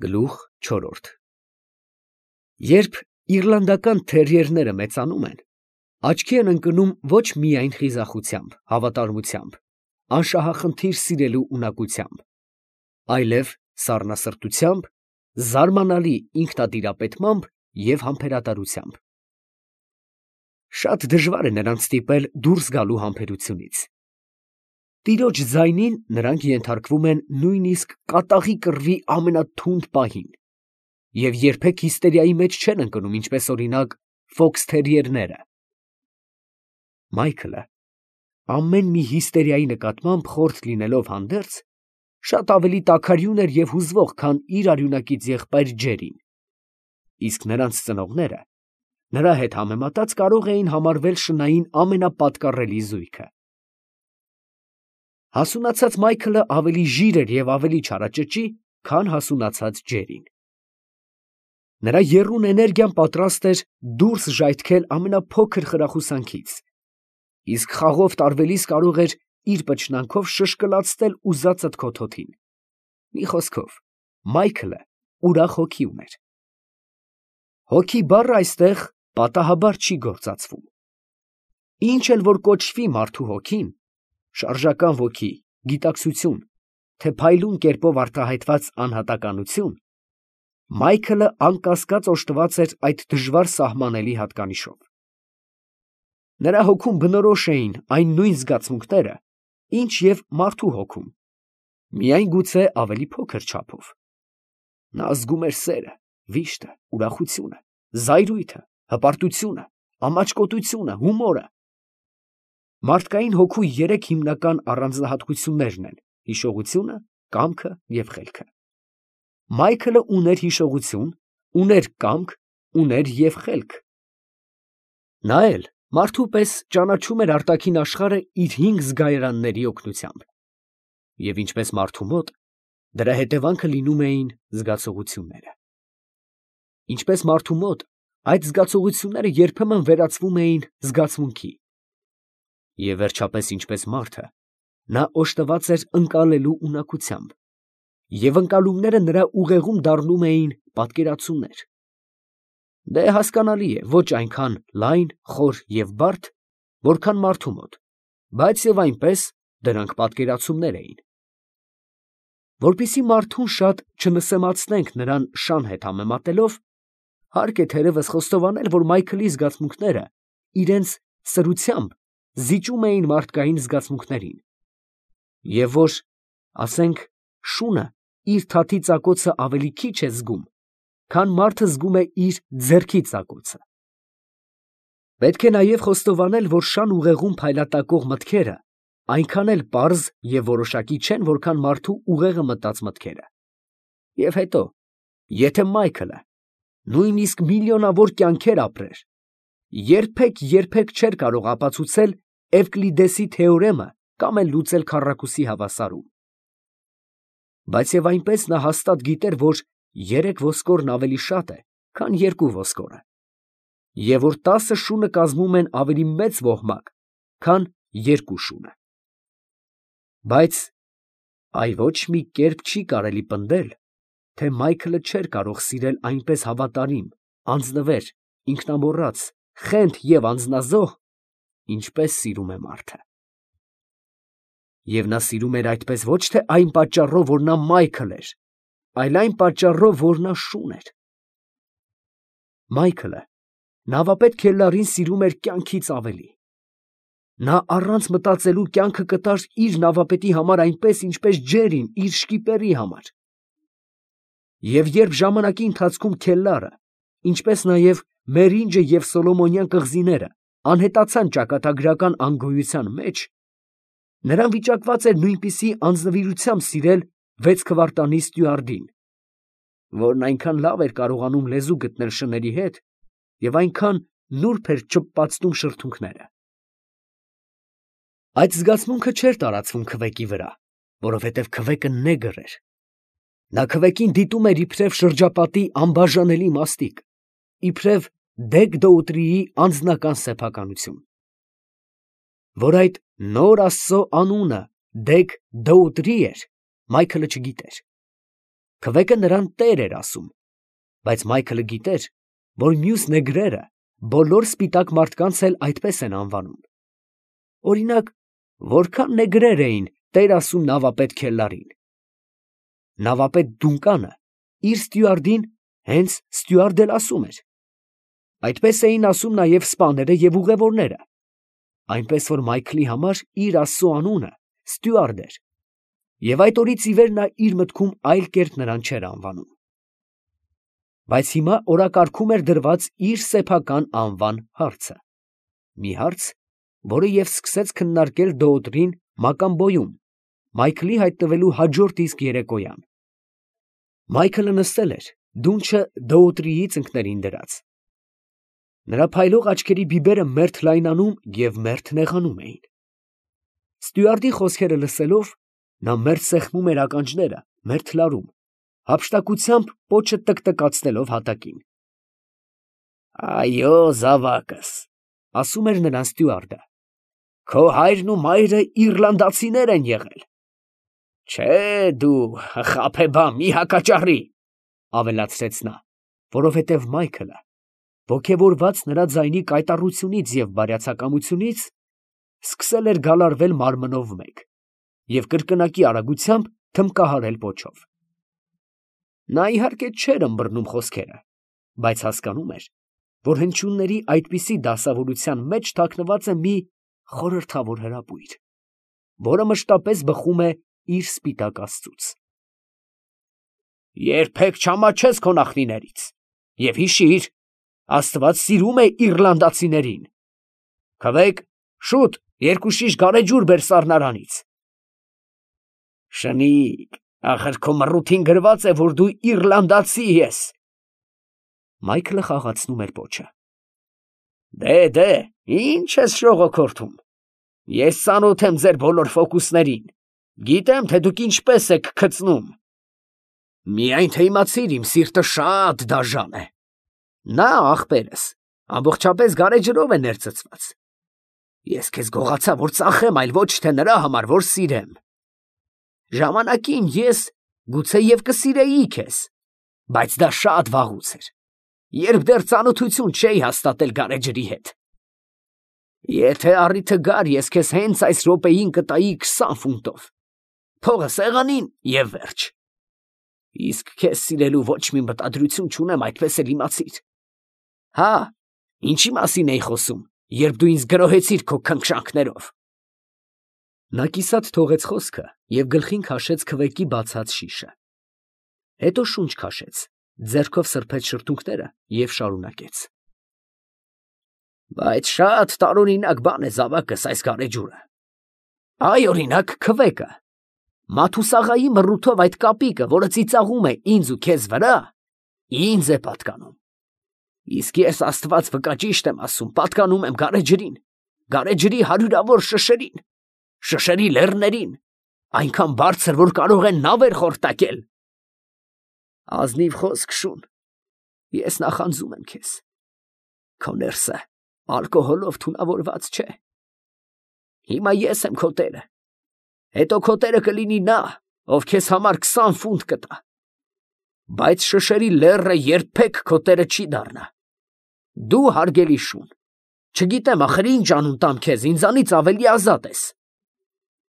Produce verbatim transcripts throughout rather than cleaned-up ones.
Գլուխ չորրորդ Երբ իռլանդական թերիերները մեծանում են, աչքի են ընկնում ոչ միայն խիզախությամբ, հավատարմությամբ, անշահախնդիր սիրելու ունակությամբ, այլև սառնասրտությամբ, զարմանալի ինքնատիրապետմամբ և համբերատարությամբ. շատ դժվար է նրանց ստիպել դուրս գալու համբերությունից. տիրոջ ձայնին նրանք ենթարկվում են նույնիսկ կատաղի կռվի ամենաթունդ պահին և երբեք հիստերիայի մեջ չեն ընկնում, ինչպես օրինակ ֆոքսթերիերները։ Մայքլը, ամեն մի հիստերիայի նկատմամբ խորթ լինելով հանդերձ, շատ ավելի տաքարյուն էր և հուզվող, քան իր արյունակից եղբայր Ջերին, իսկ նրանց ծնողները նրա հետ համեմատած կարող էին համարվել շնային ամենապատկառելի զույգը։ Հասունացած Մայքլը ավելի ժիր էր և ավելի չարաճճի, քան հասունացած Ջերին. նրա եռուն էներգիան պատրաստ էր դուրս ժայթքել ամենափոքր խրախուսանքից, իսկ խաղով տարվելիս կարող էր իր պչնանքով շշկլացնել ուզածդ քո թոթին, մի խոսքով, Մայքլը ուրախ հոգի ուներ։ Հոգի բառը այստեղ պատահաբար չի գործածվում. ինչ էլ որ կոչվի մարդու հոգին, շարժական ոգի, գիտակցություն, թե փայլուն կերպով արտահայտված անհատականություն, Մայքլը անկասկած օժտված էր այդ դժվար սահմանելի հատկանիշով։ Նրա հոգում բնորոշ էին այն նույն զգացմունքները, ինչ և մարդու հոգում, միայն գուցե ավելի փոքր չափով։ Նա զգում էր սերը, վիշտը, ուրախությունը, զայրույթը, հպարտությունը, ամաչկոտությունը, հումորը։ Մարդկային հոգու երեք հիմնական առանձնահատկություններն են՝ հիշողությունը, կամքը և խելքը։ Մայքլը ուներ հիշողություն, ուներ կամք, ուներ և խելք։ Նա էլ մարդու պես ճանաչում էր արտաքին աշխարհը իր հինգ զգայարանների օգնությամբ, և ինչպես մարդու մոտ, դրա հետևանքը լինում էին զգացողությունները։ Ինչպես մարդու մոտ, այդ զգացողությունները երբեմն վերածվում էին զգացմունքի։ Եվ վերջապես, ինչպես մարդը, նա օժտված էր ընկալելու ունակությամբ, և ընկալումները նրա ուղեղում դառնում էին պատկերացումներ։ Դե հասկանալի է, ոչ այնքան լայն, խոր և բարդ, որքան մարդու մոտ, բայց և այնպես դրանք պատկերացումներ էին։ Որպեսզի մարդուն շատ չնսեմացնենք նրան շան հետ համեմատելով, հարկ է թերևս խոստովանել, որ Մայքլի զգացմունքները իրանց սրությամբ զիջում էին մարդկային զգացմունքներին, և որ, ասենք, շունը իր թաթի ծակոցը ավելի քիչ է զգում, քան մարդը զգում է իր ձեռքի ծակոցը։ Պետք է նաև խոստովանել, որ շան ուղեղում փայլատակող մտքերը այնքան էլ պարզ և որոշակի չեն, որքան մարդու ուղեղը մտած մտքերը։ Եվ հետո, եթե Մայքլը նույնիսկ միլիոնավոր կյանքեր ապրեր, երբեք, երբեք չէր կարող ապացուցել Էվկլիդեսի թեորեմը կամ էլ լուծել քառակուսի հավասարում։ Բայց և այնպես նա հաստատ գիտեր, որ երեք ոսկորն ավելի շատ է, քան երկու ոսկորը, և որ տասը շունը կազմում են ավելի մեծ ոհմակ, քան երկու շունը։ Բայց այ ոչ մի կերպ չի կարելի պնդել, թե Մայքլը չէր կարող սիրել այնպես հավատարիմ, անձնվեր, ինքնամոռաց, խենթ և անձնազոհ, ինչպես սիրում է մարդը։ Եվ նա սիրում էր այդպես ոչ թե այն պատճառով, որ նա Մայքլ էր, այլ այն պատճառով, որ նա շուն էր։ Մայքլը նավապետ Քելլարին սիրում էր կյանքից ավելի։ Նա առանց մտածելու կյանքը կտար իր նավապետի համար այնպես, ինչպես Ջերին իր շկիպերի համար։ Եվ երբ ժամանակի ընթացքում Քելլարը, ինչպես նաև Մերինջը և Սոլոմոնյան կղզիները անհետացան ճակատագրական անգոյության մեջ, նրան վիճակված էր նույնպիսի անձնվիրությամբ սիրել վեց քվարտանի ստյուարդին, որն այնքան լավ էր կարողանում լեզու գտնել շների հետ և այնքան նուրբ էր չպպացնում շրթունքները։ Այդ զգացմունքը չէր տարածվում քվեկի վրա, որովհետև քվեկը նեգր էր։ Նա քվեկին դիտում էր իբրև շրջապատի անբաժանելի մասնիկ, իբրև Դեգ֊Դոուտրիի անձնական սեփականություն։ Որ այդ նոր աստծո անունը Դեգ֊Դոուտրի էր, Մայքլը չգիտեր։ Քվեկը նրան տեր էր ասում, բայց Մայքլը գիտեր, որ մյուս նեգրերը բոլոր սպիտակ մարդկանց էլ այդպես են անվանում։ Օրինակ, որքան նեգրեր էին տեր ասում նավապետ Քելլարին։ Նավապետ Դունկանը իր ստյուարդին հենց ստյուարդ էլ ասում էր։ Այդպես էին ասում նաև սպաները և ուղևորները, այնպես որ Մայքլի համար իր Աստծու անունը ստյուարդ էր, և այդ օրից ի վեր նա իր մտքում այլ կերպ նրան չէր անվանում։ Բայց հիմա օրակարգում էր դրված իր սեփական անվան հարցը, մի հարց, որը և սկսեց քննարկել դոոտրին Մակամբոյում, Մայքլի հայտնվելու հաջորդ իսկ երեկոյան։ Մայքլը նստել էր, դունչը դոոտրիի ծնկներին դրած։ Նրա փայլող աչքերի բիբերը մերթ լայնանում և մերթ նեղանում էին։ Ստյուարդի խոսքերը լսելով, նա մերթ սեղմում էր ականջները, մերթ լարում, հափշտակությամբ պոչը տկտկացնելով հատակին։ «Այո, զավակս», ֊ ասում էր նրան ստյուարդը, ֊ «քո հայրն ու մայրը իռլանդացիներ են եղել»։ «Չէ, դու խաբեբան, մի հակաճառի», ֊ ավելացրեց նա, որովհետև Մայքլը, ոգևորված նրա ձայնի կայտառությունից և բարյացակամությունից, սկսել էր գալարվել մարմնով մեկ և կրկնակի արագությամբ թմբկահարել պոչով։ Նա իհարկե չէր ըմբռնում խոսքերը, բայց հասկանում էր, որ հնչյունների այդպիսի դասավորության մեջ թաքնված է մի խորհրդավոր հրապույր, որը մշտապես բխում է իր սպիտակ աստծուց։ «Երբեք չամաչես քո նախնիներից և հիշիր, Աստված սիրում է իռլանդացիներին։ Քվեք, շուտ երկու շիշ գարեջուր բեր սառնարանից»։ «Շնիկ, ախր քո մռութին գրված է, որ դու իռլանդացի ես»։ Մայքլը խաղացնում էր պոչը։ «Դե, դե, ի՞նչ ես շողոքորթում։ Ես ծանոթ եմ ձեր բոլոր ֆոկուսներին, գիտեմ, թե դուք ինչպես եք քծնում։ Միայն թե իմացիր, իմ սիրտը շատ դաժան է։ Նա, ախպերս, ամբողջապես գարեջրով է ներծծված։ Ես քեզ գողացա, որ ծախեմ, այլ ոչ թե նրա համար, որ սիրեմ։ Ժամանակին ես գուցե և կսիրեի քեզ, բայց դա շատ վաղուց էր, երբ դեռ ծանոթություն չէի հաստատել գարեջրի հետ։ Եթե առիթը գար, ես քեզ հենց այս րոպեին կտայի քսան ֆունտով, փողը սեղանին և վերջ։ Իսկ քեզ սիրելու ոչ մի մտադրություն չունեմ, այդպես էլ իմացիր։ Հա, ինչի մասին էի խոսում, երբ դու ինձ գրոհեցիր քո քնքշանքներով։ Նա կիսատ թողեց խոսքը և գլխին քաշեց քվեկի բացած շիշը։ Հետո շունչ քաշեց, ձեռքով սրբեց շրթունքները և շարունակեց. Բայց շատ տարօրինակ բան է, զավակս, այս գարեջուրը։ Այ, օրինակ, քվեկը։ Մաթուսաղայի մռութով այդ կապիկը, որը ծիծաղում է ինձ ու քեզ վրա, ինձ է պատկանում։ Իսկ ես, Աստված վկա, ճիշտ եմ ասում, պատկանում եմ գարեջրին, գարեջրի հարյուրավոր շշերին, շշերի լեռներին, այնքան բարձր, որ կարող են նավեր խորտակել։ Ազնիվ խոսք, շուն, ես նախանձում եմ քեզ։ Քո ներսը ալկոհոլով թունավորված չէ։ Հիմա ես եմ քո տերը, հետո քո տերը կլինի նա, ով քեզ համար քսան ֆունտ կտա, բայց շշերի լեռը երբեք քո տերը չի դառնա։ Դու, հարգելի շուն, չգիտեմ ախր ինչ անուն տամ քեզ, ինձանից ավելի ազատ ես։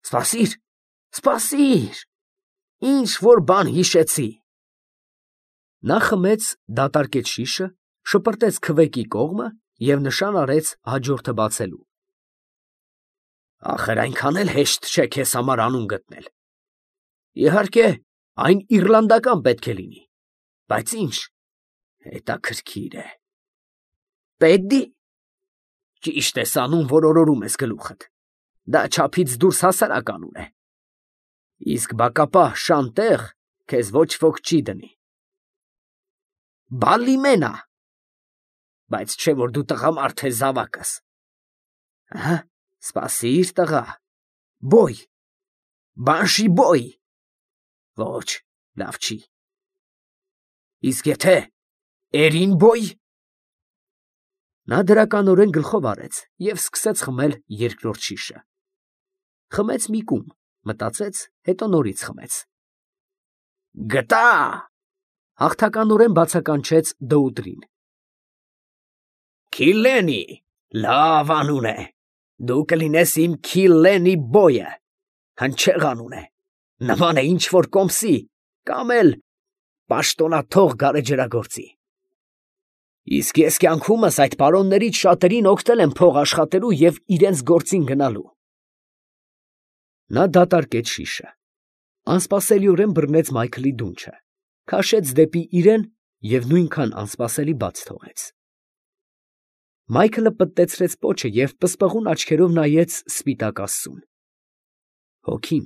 Սպասիր, սպասիր, ինչ որ բան հիշեցի։ Նա խմեց, դատարկեց շիշը, շպրտեց քվեկի կողմը և նշան արեց հաջորդը բացելու։ Ախր այնքան էլ հեշտ չէ քեզ համար անուն գտնել։ Իհարկե, այն իռլանդական պետք է լինի, բայց ինչ, հետաքրքիր է։ Պետդի։ Ճիշտ ես անում, որ օրորում ես գլուխդ։ Դա չափից դուրս հասարակ անուն է։ Իսկ բակապահ Շանտեղ քեզ ոչ ոք չի դնի։ Բալլիմենա։ Բայց չէ որ դու տղամարդ ես, զավակս։ Ահա, սպասիր, տղա։ Բոյ։ Բանշի բոյ։ Ոչ, լավ չի։ Իսկ եթե Էրին բոյ։ Նա դրականորեն գլխով արեց և սկսեց խմել երկրորդ շիշը։ Խմեց մի կում, մտածեց, հետո նորից խմեց։ Գտա, հաղթականորեն բացականչեց Դոուտրին։ Քիլենի, լավ անուն է, դու կլինես իմ Քիլենի բոյը, հնչեղ անուն է, նման է ինչ որ կոմսի, կամ էլ պաշտոնաթող գարեջրագործի։ Իսկ ես կյանքումս այդ պարոններից շատերին օգնել եմ փող աշխատելու և իրենց գործին գնալու։ Նա դատարկեց շիշը, անսպասելիորեն բռնեց Մայքլի դունչը, քաշեց դեպի իրեն և նույնքան անսպասելի բաց թողեց։ Մայքլը պտտեցրեց պոչը և պսպղուն աչքերով նայեց սպիտակ աստծուն։ Հոգին,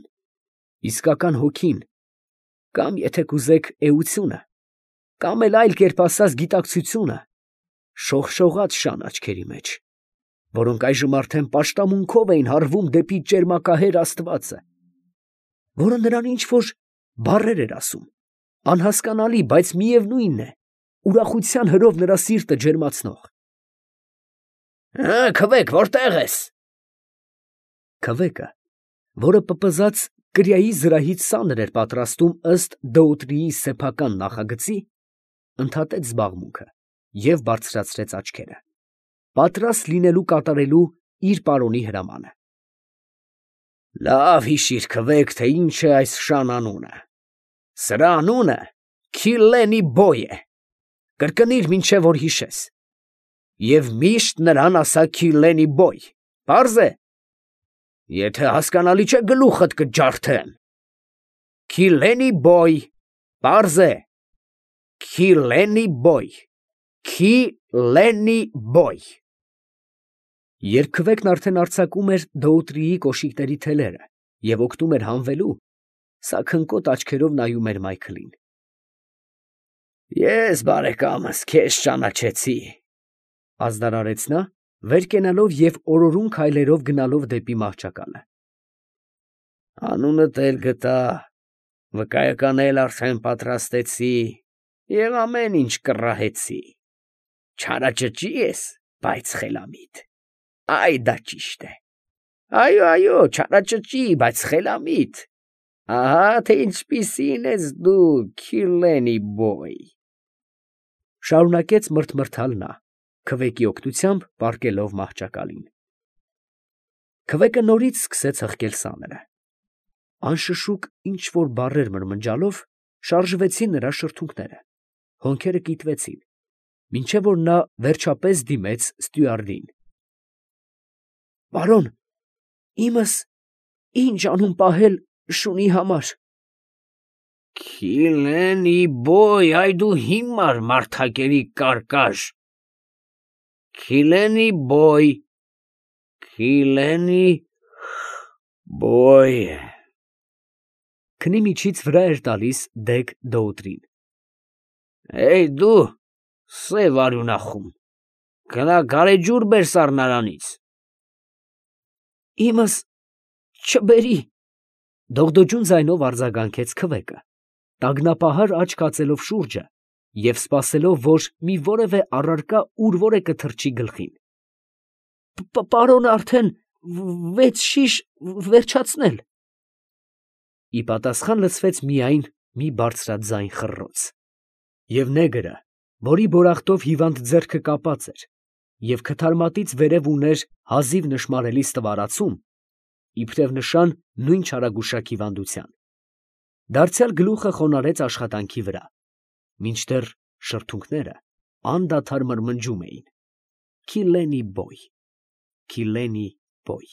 իսկական հոգին, կամ եթե կուզեք էությունը, կամ էլ այլ կերպ ասած գիտակցությունը, շողշողաց շան աչքերի մեջ, որոնք այժմ արդեն պաշտամունքով էին հառվում դեպի ճերմակահեր աստվածը, որը նրան ինչ֊որ բառեր էր ասում, անհասկանալի, բայց միևնույն է, ուրախության հրով նրա սիրտը ջերմացնող։ Քվեք, որտե՞ղ ես։ Քվեկը, որը պպզած կրիայի զրահից սանր էր պատրաստում ըստ Դոուտրիի սեփական նախագծի, ընդհատեց զբաղմունքը և բարձրացրեց աչքերը, պատրաստ լինելու կատարելու իր պարոնի հրամանը։ Լավ հիշիր, քվեք, թե ինչ է այս շան անունը. սրա անունը Քիլենի բոյ է, կրկնիր, մինչև որ հիշես, և միշտ նրան ասա Քիլենի բոյ, պարզ է, եթե հասկանալի չէ, գլուխդ կջարդեմ։ Քիլենի բոյ, պարզ է, Քիլենի բոյ, Քիլենի բոյ։ Երբ քվեկն արդեն արձակում էր Դոուտրիի կոշիկների թելերը և օգնում էր հանվելու, սա քնկոտ աչքերով նայում էր Մայքլին։ Ես, բարեկամս, քեզ ճանաչեցի, ազդարարեց նա, վեր կենալով և օրորուն քայլերով գնալով դեպի մահճակալը։ Անունդ էլ գտա, վկայական էլ արդեն պատրաստեցի և ամեն ինչ կռահեցի, չարաճճի ես, բայց խելամիտ, այ դա ճիշտ է, այո, այո, չարաճճի, բայց խելամիտ, ահա թե ինչպիսին ես դու, Քիլենի բոյ, շարունակեց մրթմրթալ նա, քվեկի օգնությամբ պառկելով մահճակալին։ Քվեկը նորից սկսեց հղկել սաները, անշշուկ ինչ֊որ բառեր մրմնջալով շարժվեցին նրա շրթունքները, հոնքերը կիտվեցին, մինչև որ նա վերջապես դիմեց ստյուարդին։ Պարոն, իմս ի՞նչ անուն պահել շունի համար։ Քիլենի բոյ, այ դու հիմար մարդակերի կարկաժ, Քիլենի բոյ, Քիլենի բոյ… Քնի միջից վրա էր տալիս դեգ Դոուտրին։ Էյ դու, սև արյունախում, գնա գարեջուր բեր սառնարանից։ Իմս չբերի… Դողդոջուն ձայնով արձագանքեց քվեկը, տագնապահար աչք հացելով շուրջը և սպասելով, որ մի որևէ առարկա ուր որ է կթռչի գլխին։ Պարոնը արդեն վեց շիշ վերջացնել։ Ի պատասխան լսվեց միայն մի բարձրաձայն խռռոց, և նեգրը, որի բորախտով հիվանդ ձեռքը կապած էր և քթարմատից վերև ուներ հազիվ նշմարելի ստվարացում, իբրև նշան նույն չարագուշակ հիվանդության, դարձյալ գլուխը խոնարհեց աշխատանքի վրա, մինչդեռ շրթունքները անդադար մրմնջում էին. Քիլենի բոյ, Քիլենի բոյ։